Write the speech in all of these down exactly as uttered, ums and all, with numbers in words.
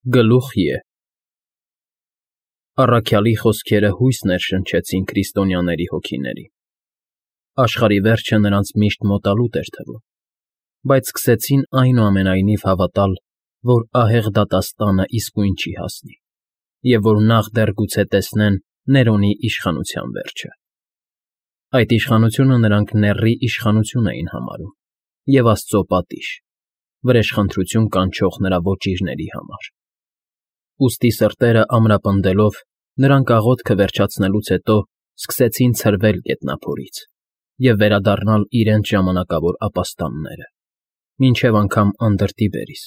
Գլուխ Ե Առաքյալի խոսքերը հույս ներշնչեցին քրիստոնյաների հոգիներին, աշխարհի վերջը նրանց միշտ մոտալուտ էր թվում, բայց սկսեցին այնուամենայնիվ հավատալ, որ ահեղ դատաստանը իսկույն չի հասնի, և որ նախ դեռ գուցե տեսնեն Ներոնի իշխանության վերջը։ Այդ իշխանությունը նրանք նեռի իշխանություն էին համարում և Աստծո պատիժ, վրեժխնդրություն կանչող նրա ոճիրների համար։ Ուստի սրտերը ամրապնդելով, նրանք աղոթքը վերջացնելուց հետո սկսեցին ցրվել գետնափորից և վերադառնալ իրենց ժամանակավոր ապաստանները, մինչև անգամ անդրդի բերիս,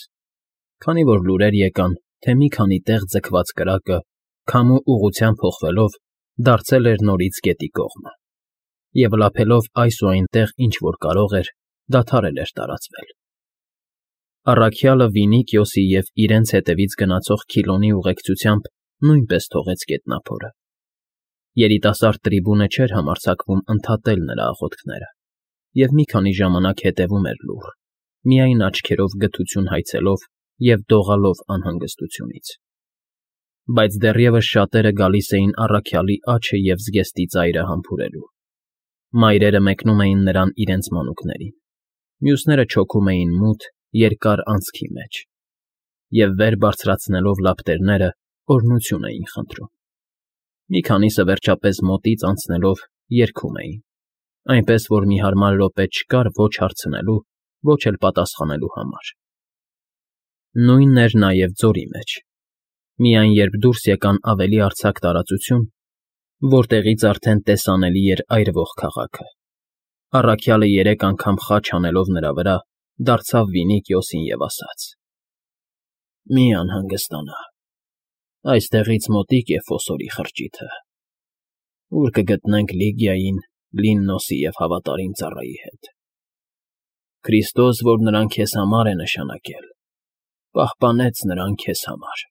քանի որ լուրեր եկան, թե մի քանի տեղ ձգված կրակը, քամու ուղղությամբ փոխվելով, դարձել էր նորից գետի կողմը, և լափելով այս ու այնտեղ ինչ֊որ կարող էր, դադարել էր տարածվել։ Առաքյալը Վինիքիոսի և իրենց հետևից գնացող Քիլոնի ուղեկցությամբ նույնպես թողեց գետնափորը։ Երիտասարդ տրիբունը չէր համարձակվում ընդհատել նրա աղոթքները և մի քանի ժամանակ հետևում էր լուռ, միայն աչքերով գթություն հայցելով և դողալով անհանգստությունից։ Բայց դեռևս շատերը գալիս էին առաքյալի աջը և զգեստի ծայրը համբուրելու։ Մայրերը մեկնում էին նրան իրենց մանուկներին, մյուսները չոքում էին մութ, երկար անցքի մեջ և, վեր բարձրացնելով լապտերները, օրհնություն էին խնդրում։ Մի քանիսը, վերջապես, մոտից անցնելով, երգում էին, այնպես որ մի հարմար րոպե չկար ոչ հարցնելու, ոչ էլ պատասխանելու համար։ Նույնն էր նաև ձորի մեջ։ Միայն երբ դուրս եկան ավելի արձակ տարածություն, որտեղից արդեն տեսանելի էր այրվող քաղաքը, առաքյալը երեք անգամ խաչ հանելով նրա վրա, դարձավ Վինիքիոսին և ասաց. «Մի անհանգստանա, այստեղից մոտիկ է Ֆոսորի խրճիթը, ուր կգտնենք Լիգիային, Լիննոսի և հավատարիմ ծառայի հետ։ Քրիստոս, որ նրան քեզ համար է նշանակել, պահպանեց նրան քեզ համար»։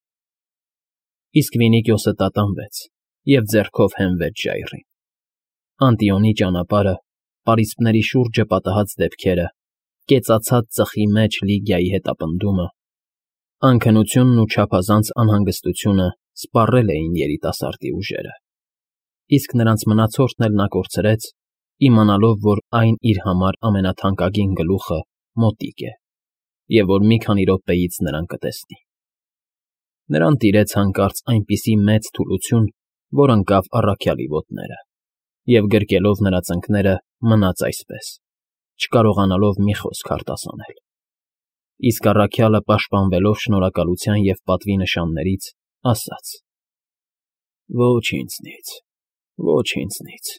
Իսկ Վինիքիոսը տատանվեց և ձեռքով հենվեց ժայռին։ Անտիոնի ճանապարհը, պարիսպների շուրջը պատահած դեպքերը, կեցացած ծխի մեջ Լիգիայի հետապնդումը, անքնությունն ու չափազանց անհանգստությունը սպառել էին երիտասարդի ուժերը, իսկ նրանց մնացորդն էլ նա կորցրեց, իմանալով, որ այն իր համար ամենաթանկագին գլուխը մոտիկ է և որ մի քանի րոպեից նրան կտեսնի։ Նրան տիրեց հանկարծ այնպիսի մեծ թուլություն, որ ընկավ առաքյալի ոտները և, գրկելով նրա ծնկները, մնաց այսպես, չկարողանալով մի խոսք արտասանել։ Իսկ առաքյալը, պաշտպանվելով շնորհակալության և պատվի նշաններից, ասաց. «Ոչ ինձնից, ոչ ինձնից,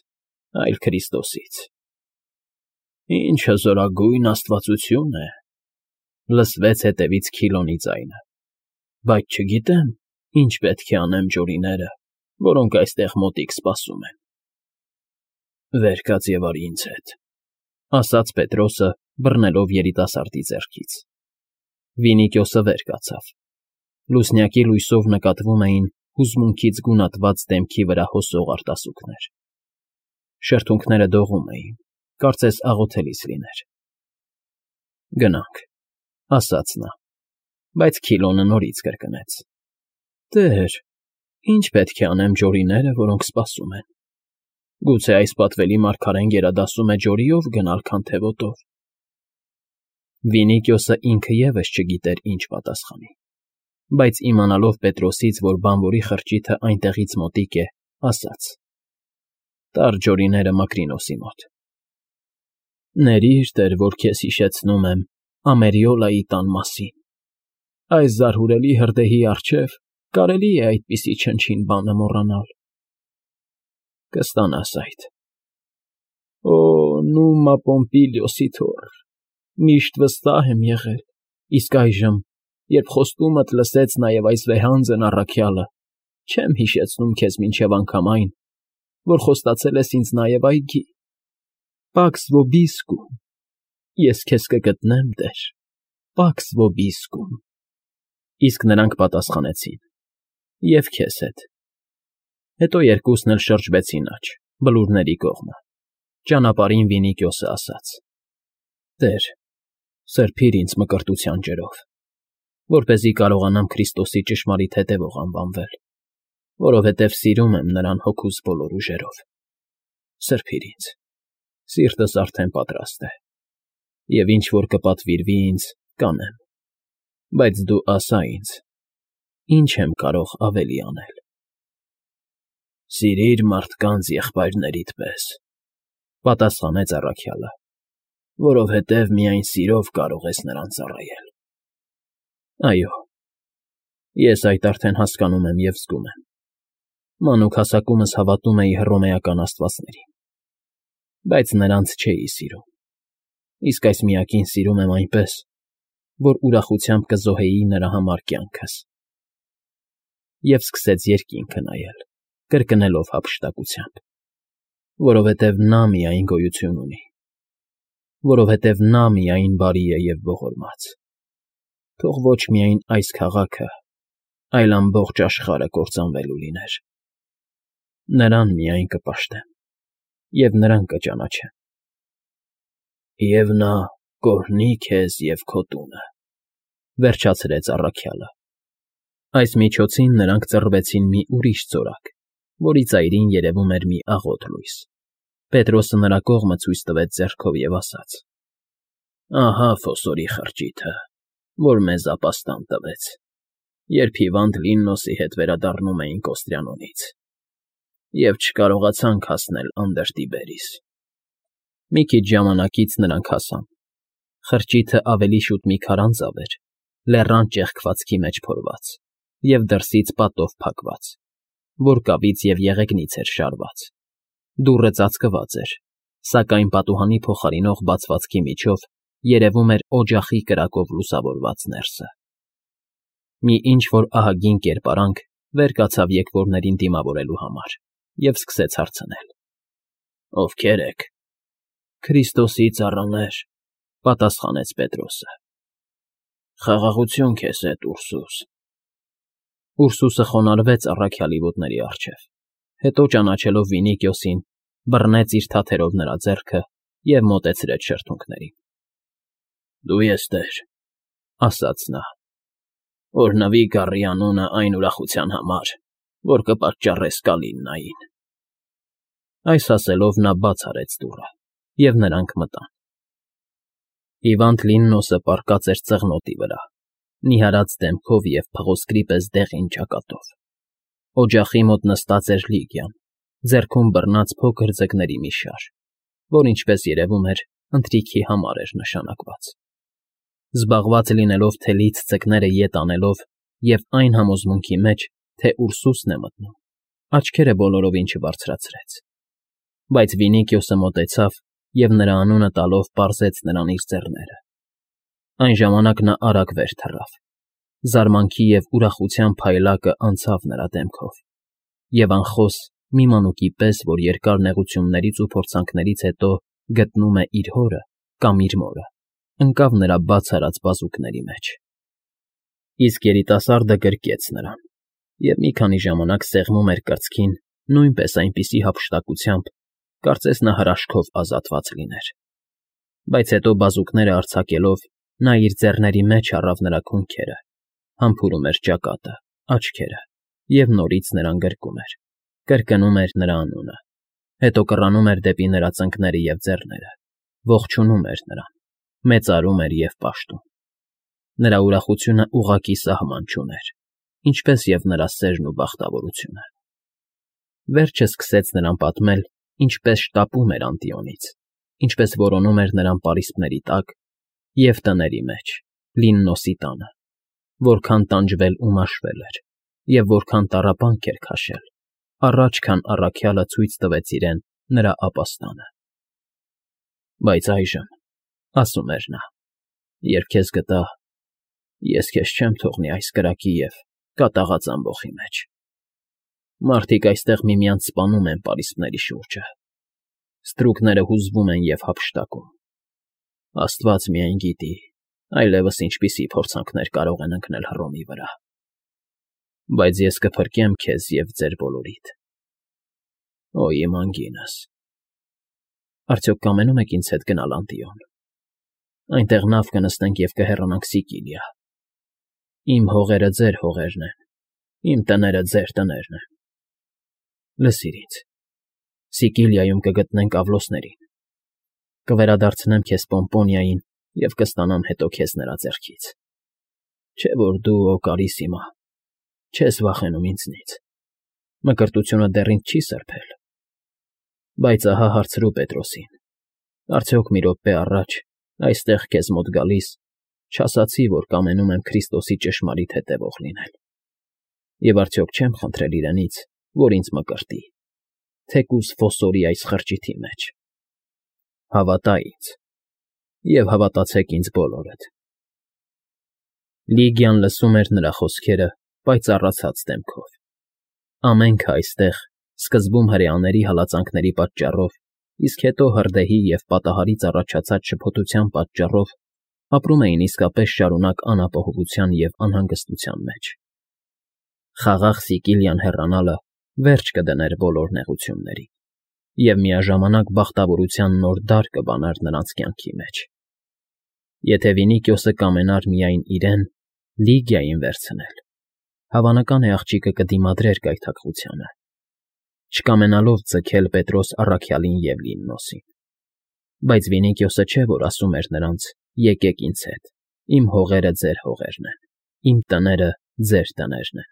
այլ Քրիստոսից»։ «Ինչ հզորագույն աստվածություն է,֊ լսվեց հետևից Քիլոնի ձայնը,֊ բայց չգիտեմ, ինչ պետք է անեմ ջորիները, որոնք այստեղ մոտիկ սպասում են»։ «Վեր կաց և արի ինձ հետ,֊ ասաց Պետրոսը, բռնելով երիտասարդի ձեռքից։ Վինիքիոսը վեր կացավ։ Լուսնյակի լույսով նկատվում էին հուզմունքից գունատված դեմքի վրա հոսող արտասուքներ։ Շրթունքները դողում էին, կարծես աղոթելիս լիներ։ «Գնանք,֊ ասաց նա, բայց Քիլոնը նորից կրկնեց. «Տե՛ր, ի՞նչ պետք է անեմ ջորիները, որոնք սպասում են։ Գուցե այս պատվելի մարգարեն գերադասում է ջորիով գնալ, քան թե ոտով»։ Վինիքիոսը ինքը ևս չգիտեր ինչ պատասխանի, բայց իմանալով Պետրոսից, որ բանվորի խրճիթը այնտեղից մոտիկ է, ասաց. «Տար ջորիները Մակրինոսի մոտ»։ «Ներիր, Տեր, որ քեզ հիշեցնում եմ Ամերիոլայի տան մասին։ Այս զարհուրելի հրդեհի առջև կարելի է այդպիսի չնչին բանը մոռանալ»։ «Կստանաս այդ»։ «Օ, Նումմա Պոմպիլիոսի թոռ, միշտ վստահ եմ եղել, իսկ այժմ, երբ խոստումդ լսեց նաև այս վեհանձն առաքյալը, չեմ հիշեցնում քեզ մինչև անգամ այն, որ խոստացել ես ինձ նաև այգի, Պաքս Վոբիսկում։ Ես քեզ կգտնեմ, Տեր, Պաքս Վոբիսկում»։ Իսկ նրանք պատասխանեցին. «Եվ քեզ հետ»։ Հետո երկուսն էլ շրջվեցին աջ, բլուրների կողմը։ Ճանապարհին Վինիքիոսը ասաց. «Տեր, սրբիր ինձ մկրտության ջրով»։ որպեսզի կարողանամ Քրիստոսի ճշմարիտ հետևող անվանվել, որովհետև սիրում եմ նրան հոգուս բոլոր ուժերով։ Սրբիր ինձ, սիրտս արդեն պատրաստ է, և ինչ որ կպատվիրվի ինձ, կանեմ, բայց դու ասա ինձ, ի՞նչ եմ կարող ավելի անել։ Սիրիր մարդկանց եղբայրներիդ պես, պատասխանեց առաքյալը, որովհետև միայն սիրով կարող ես նրան ծառայել։ Այո, ես այդ արդեն հասկանում եմ և զգում եմ։ Մանուկ հասակումս հավատում էի հռոմեական աստվածներին, բայց նրանց չէի սիրում, իսկ այս միակին սիրում եմ այնպես, որ ուրախությամբ կզոհեի նրա համար կյանքս։ Եվ սկսեց երկինքը նայել, կրկնելով հափշտակությամբ, որովհետև նա միայն գոյություն ունի, որովհետև նա միայն բարի է և ողորմած։ Թող ոչ միայն այս քաղաքը, այլ ամբողջ աշխարհը կործանվելու լիներ։ Նրան միայն կպաշտեմ, և նրան կճանաչեմ։ Եվ նա կօրհնի քեզ և քո տունը, վերջացրեց առաքյալը։ Այս միջոցին նրանք ծռվեցին մի ուրիշ ծորակ, որի ծայրին երևում էր մի աղոտ լույս։ Պետրոսը նրա կողմը ցույց տվեց ձեռքով և ասաց. Ահա փոսորի խրճիթը, որ մեզ ապաստան տվեց, երբ հիվանդ Լիննոսի հետ վերադառնում էինք Օստրիանոնից, և չկարողացանք հասնել Անդրտիբերիս։ Մի քիչ ժամանակից նրանք հասան։ Խրճիթը ավելի շուտ մի քարանձավ էր, լեռան ճեղքվածքի մեջ փորված և դրսից պատով փակված, որ կավից և եղեգնից էր շարված։ Դուռը ծածկված էր, սակայն պատուհանի փոխարինող բացվածքի միջով երևում էր օջախի կրակով լուսավորված ներսը։ Մի ինչ֊որ ահագին կերպարանք վեր կացավ եկվորներին դիմավորելու համար և սկսեց հարցնել. Ովքե՞ր եք։ Քրիստոսի ծառաներ, պատասխանեց Պետրոսը։ Խաղաղություն քեզ հետ, Ուրսուս։ Ուրսուսը խոնարհվեց առաքյալի ոտների առջև, հետո ճանաչելով Վինիկիոսին, բռնեց իր թաթերով նրա ձեռքը և մոտեցրեց շրթունքներին։ Դու ես Տեր, ասաց նա, օրհնվի գառի անունը այն ուրախության համար, որ կպատճառես Կալիննային։ Այս ասելով նա բաց արեց դուռը, և նրանք մտան։ Հիվանդ Լիննոսը պառկած էր ծղնոտի վրա, նիհարած դեմքով և փղոսկրի պես դեղին ճակատով։ Օջախի մոտ նստած էր Լիգիան, ձեռքում բռնած փոքր ձկների մի շար, որ, ինչպես երևում էր, ընթրիքի համար էր նշանակված։ Զբաղված լինելով թելից ձկները ետ անելով և այն համոզմունքի մեջ, թե Ուրսուսն է մտնում, աչքերը բոլորովին չբարձրացրեց։ Բայց Վինիկիոսը մոտեցավ և նրա անունը տալով պարզեց նրան իր ձեռները։ Այն ժամանակ նա արագ վեր թռավ։ Զարմանքի և ուրախության փայլակը անցավ նրա դեմքով, և անխոս մի մանուկի պես, որ երկար նեղություններից ու փորձանքներից հետո գտնում է իր հորը կամ իր մորը, ընկավ նրա բաց արած բազուկների մեջ։ Իսկ երիտասարդը գրկեց նրան, և մի քանի ժամանակ սեղմում էր կրծքին նույնպես այնպիսի հափշտակությամբ, կարծես նա հրաշքով ազատված լիներ։ Բայց հետո բազուկները արձակելով, նա իր ձեռների մեջ առավ նրա քունքերը, համբուրում էր ճակատը, աչքերը և նորից նրան գրկում էր, կրկնում էր նրա անունը, հետո կռանում էր դեպի նրա ծնկները և ձեռները, ողջունում էր նրան, մեծարում էր և պաշտում։ Նրա ուրախությունը ուղղակի սահման չուներ, ինչպես և նրա սերն ու բախտավորությունը։ Վերջը սկսեց նրան պատմել, ինչպես շտապում էր Անտիոնից, ինչպես որոնում էր նրան պարիսպների տակ և տների մեջ, Լիննոսի տանը, որքան տանջվել ու մաշվել էր, և որքան տառապանք էր քաշել, առաջ քան առաքյալը ցույց տվեց իրեն նրա ապաստանը։ Բայց այժմ, ասում էր նա, երբ քեզ գտա, ես քեզ չեմ թողնի այս կրակի և կատաղած ամբոխի մեջ։ Մարդիկ այստեղ միմյանց սպանում են պարիսպների շուրջը, ստրուկները հուզվում են և հափշտակում։ Աստված միայն գիտի, այլևս ինչպիսի փորձանքներ կարող են ընկնել Հռոմի վրա։ Բայց ես կփրկեմ քեզ և ձեր բոլորիդ։ Օ, իմ անգինս… Արդյոք կամենում եք ինձ հետ գնալ Անտիոն։ Այնտեղ նավ կնստենք և կհեռանանք Սիկիլիա։ Իմ հողերը ձեր հողերն են, իմ տները ձեր տներն են։ Լսիր ինձ. Սիկիլիայում կգտնենք Ավլոսներին, կվերադարձնեմ քեզ Պոմպոնիային և կստանամ հետո քեզ նրա ձեռքից։ Չէ որ դու, Օկարիսիմա, չես վախենում ինձնից, մկրտությունը դեռ ինձ չի սրբել։ Բայց ահա հարցրու Պետրոսին. արդյոք մի րոպե առաջ, այստեղ քեզ մոտ գալիս, չասացի, որ կամենում եմ Քրիստոսի ճշմարիտ հետևող լինել, և արդյոք չեմ խնդրել իրենից, որ ինձ մկրտի, թեկուզ ֆոսորի այս խրճիթի մեջ։ Հավատա ինձ, և հավատացեք ինձ բոլորդ։ Լիգիան լսում էր նրա խոսքերը պայծառացած դեմքով։ Ամենքը այստեղ, սկզբում հրեաների հալածանքների պատճառով, իսկ հետո հրդեհի և պատահարից առաջացած շփոթության պատճառով, ապրում էին իսկապես շարունակ անապահովության և անհանգստության մեջ։ Խաղաղ Սիկիլիան հեռանալը վերջ կդներ բոլոր նեղություններին և միաժամանակ բախտավորության նոր դար կբաներ նրանց կյանքի մեջ։ Եթե Վինիքիոսը կամենար միայն իրեն՝ Լիգիային վերցնել, հավանական է աղջիկը կդիմադրեր գայթակղությանը, չկամենալով ձգել Պետրոս առաքյալին և Լիմնոսին։ Բայց Վինիքիոսը չէ, որ ասում էր նրանց. «Եկեք ինձ հետ, իմ հողերը ձեր հողերն են, իմ տները ձեր տներն են»։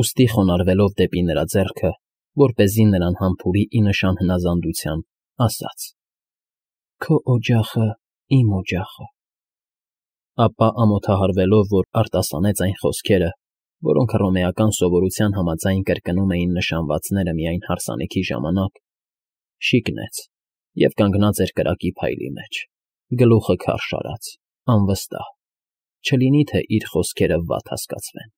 Ուստի խոնարհվելով դեպի նրա ձեռքը, որպեսզի նրան համբուրի ի նշան հնազանդության, ասաց. «Քո օջախը իմ օջախը»։ Ապա ամոթահարվելով, որ արտասանեց այն խոսքերը, որոնք հռոմեական սովորության համաձայն կրկնում էին նշանվածները միայն հարսանիքի ժամանակ, շիկնեց և կանգնած էր կրակի փայլի մեջ, գլուխը քարշ արած, անվստահ, չլինի թե իր խոսքերը վատ հասկացվեն։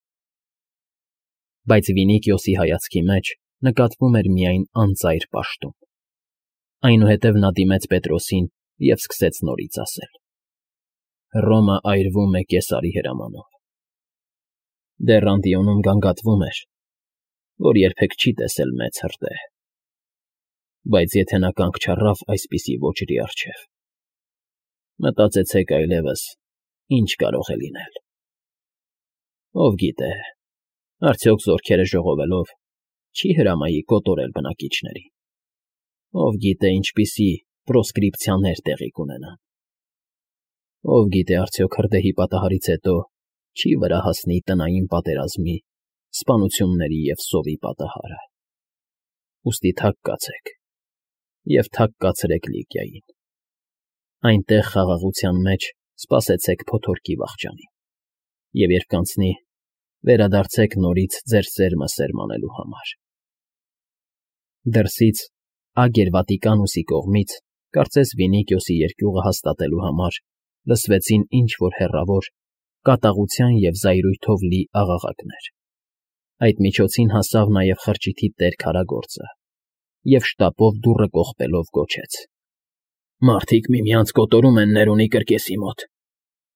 Բայց Վինիքիոսի հայացքի մեջ նկատվում էր միայն անծայր պաշտում։ Այնուհետև նա դիմեց Պետրոսին և սկսեց նորից ասել. «Հռոմը այրվում է Կեսարի հրամանով։ Դեռ Անդիոնում գանգատվում էր, որ երբեք չի տեսել մեծ հրդեհ։ Բայց եթե նա կանգ չառավ այսպիսի ոճրի առջև, մտածեցեք այլևս ինչ կարող է լինել։ Ով գիտե, արդյոք զորքերը ժողովելով չի հրամայի կոտորել բնակիչներին։ Ով գիտե ինչպիսի պրոսկրիպցիաներ տեղի կունենան։ Ով գիտե արդյոք հրդեհի պատահարից հետո չի վրա հասնի տնային պատերազմի, սպանությունների և սովի պատահարը։ Ուստի թափ կացեք և թափ կացրեք Լիգիային։ Այնտեղ խաղաղության մեջ սպասեցեք փոթորկի վախճանին, և երբ կանցնի, վերադարձեք նորից ձեր սերմը սերմանելու համար»։ Դրսից, Ագերվատիկանուսի կողմից, կարծես Վինիքիոսի երկյուղը հաստատելու համար, լսվեցին ինչ֊որ հեռավոր, կատաղության և զայրույթով լի աղաղակներ։ Այդ միջոցին հասավ նաև խրճիթի տեր քարագործը և շտապով դուռը կողպելով գոչեց. «Մարդիկ միմյանց կոտորում են Ներոնի կրկեսի մոտ։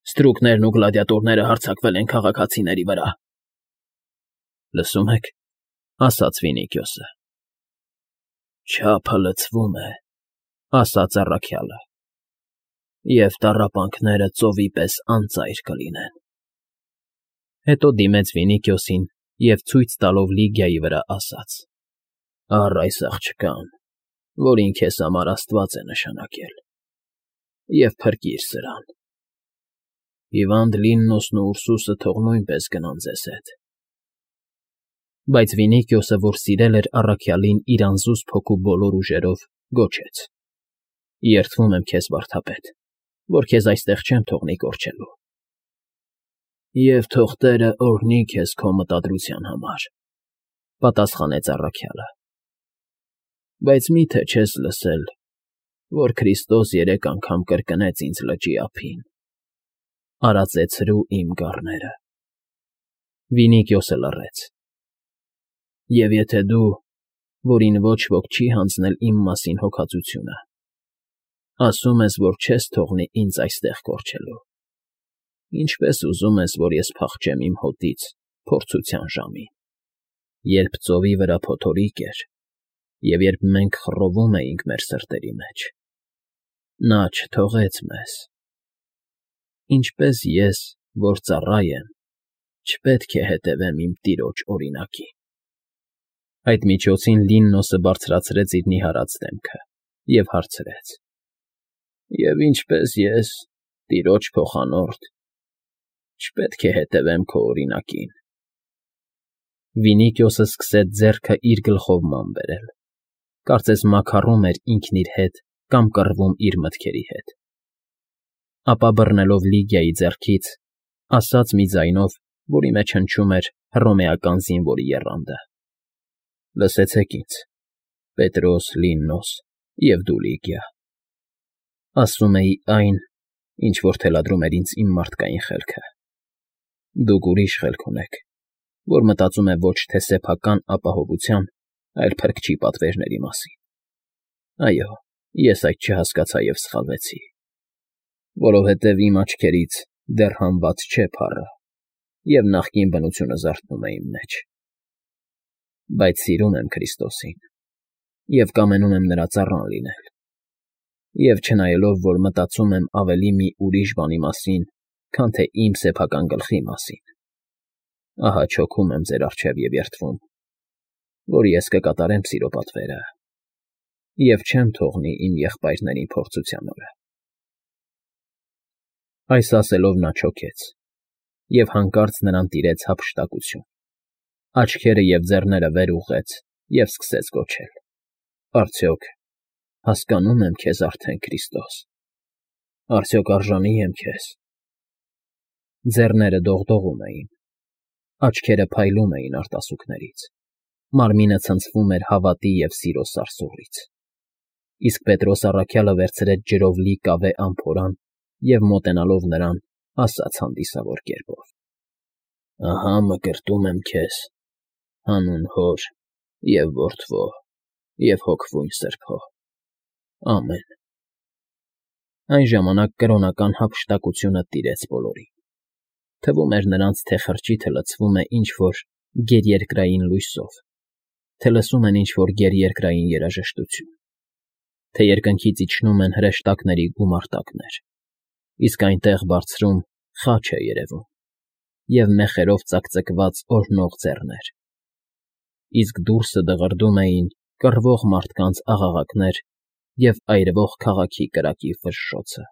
Ստրուկներն ու գլադիատորները հարձակվել են քաղաքացիների վրա»։ «Լսում եք,֊ ասաց Վինիքիոսը։ «Չափը լցվում է,֊ ասաց առաքյալը,֊ և տառապանքները ծովի պես անծայր կլինեն»։ Հետո դիմեց Վինիքիոսին և ցույց տալով Լիգիայի վրա ասաց. «Առ այս աղջկան, որին քեզ համար Աստված է նշանակել, և փրկիր սրան։ Հիվանդ Լիմնոսն ու Ուրսուսը թող նույնպես գնան ձեզ հետ»։ Բայց Վինիքիոսը, որ սիրել էր առաքյալին իր անզուսպ հոգու բոլոր ուժերով, գոչեց. «Երդվում եմ քեզ, վարդապետ, որ քեզ այստեղ չեմ թողնի կորչելու»։ «Եվ թող Տերը օրհնի քեզ քո մտադրության համար,֊ պատասխանեց առաքյալը։ Բայց մի՞թե չես լսել, որ Քրիստոս երեք անգամ կրկնեց ինձ լճի ափին. «Արածեցրու իմ գառները»։ Վինիքիոսը լռեց։ «Եվ եթե դու, որին ոչ ոք չի հանձնել իմ մասին հոգածությունը, ասում ես, որ չես թողնի ինձ այստեղ կորչելու, ինչպե՞ս ուզում ես, որ ես փախչեմ իմ հոտից փորձության ժամին, երբ ծովի վրա փոթորիկ էր, և երբ մենք խռովում էինք մեր սրտերի մեջ։ Նա չթողեց մեզ։ Ինչպե՞ս ես, որ ծառա եմ, չպետք է հետևեմ իմ տիրոջ օրինակին։ Այդ միջոցին Լիննոսը բարձրացրեց իր նիհարած դեմքը և հարցրեց. Եվ ինչպես ես, տիրոջ փոխանորդ, չպետք է հետևեմ քո օրինակին։ Վինիքիոսը սկսեց ձեռքը իր գլխով ման բերել, կարծես մաքառում էր ինքն իր հետ կամ կռվում իր մտքերի հետ։ Ապա բռնելով Լիգիայի ձեռքից, ասաց մի ձայնով, որի մեջ հնչում էր հռոմեական զինվորի եռանդը. Լսեցեք ինձ, Պետրոս, Լիննոս և դու Լիգիա, ասում էի այն, ինչ որ թելադրում էր ինձ իմ մարդկային խելքը։ Դուք ուրիշ խելք ունեք, որ մտածում է ոչ թե սեփական ապահովության, այլ փրկչի պատվերների մասին։ Այո, ես այդ չհասկացա և սխալվեցի, որովհետև իմ աչքերից դեռ հանված չէ փառը, և նախկին բնությունը զարթնում է իմ մեջ։ Բայց սիրում եմ Քրիստոսին և կամենում եմ նրա ծառան լինել, և չնայելով, որ մտածում եմ ավելի մի ուրիշ բանի մասին, քան թե իմ սեփական գլխի մասին, ահա չոքում եմ ձեր առջև և երդվում, որ ես կկատարեմ սիրո պատվերը և չեմ թողնի իմ եղբայրներին փորձության օրը։ Այս ասելով նա չոքեց, և հանկարծ նրան տիրեց հափշտակություն, աչքերը և ձեռները վեր ուղղեց և սկսեց գոչել. Արդյոք հասկանո՞ւմ եմ քեզ արդեն, Քրիստոս, արդյոք արժանի եմ քեզ։ Ձեռները դողդողում էին, աչքերը փայլում էին արտասուքներից, մարմինը ցնցվում էր հավատի և սիրո սարսուռից։ Իսկ Պետրոս առաքյալը վերցրեց ջրով լի կավե ամփորան և մոտենալով նրան, ասաց հանդիսավոր կերպով. Ահա մկրտում եմ քեզ հանուն Հոր և Որդու և Հոգվուն Սրբո։ Ամեն։ Այն ժամանակ կրոնական հափշտակությունը տիրեց բոլորին։ Թվում էր նրանց, թե խրճիթը լցվում է ինչ֊որ գերերկրային լույսով, թե լսում են ինչ֊որ գերերկրային երաժշտություն, թե երկնքից իջնում են հրեշտակների գումարտակներ, իսկ այնտեղ բարձրում խաչ է երևում և մեխերով ծակծկված օրհնող ձեռներ, իսկ դուրսը դղրդում էին կռվող մարդկանց աղաղակներ և այրվող քաղաքի կրակի ֆշշոցը։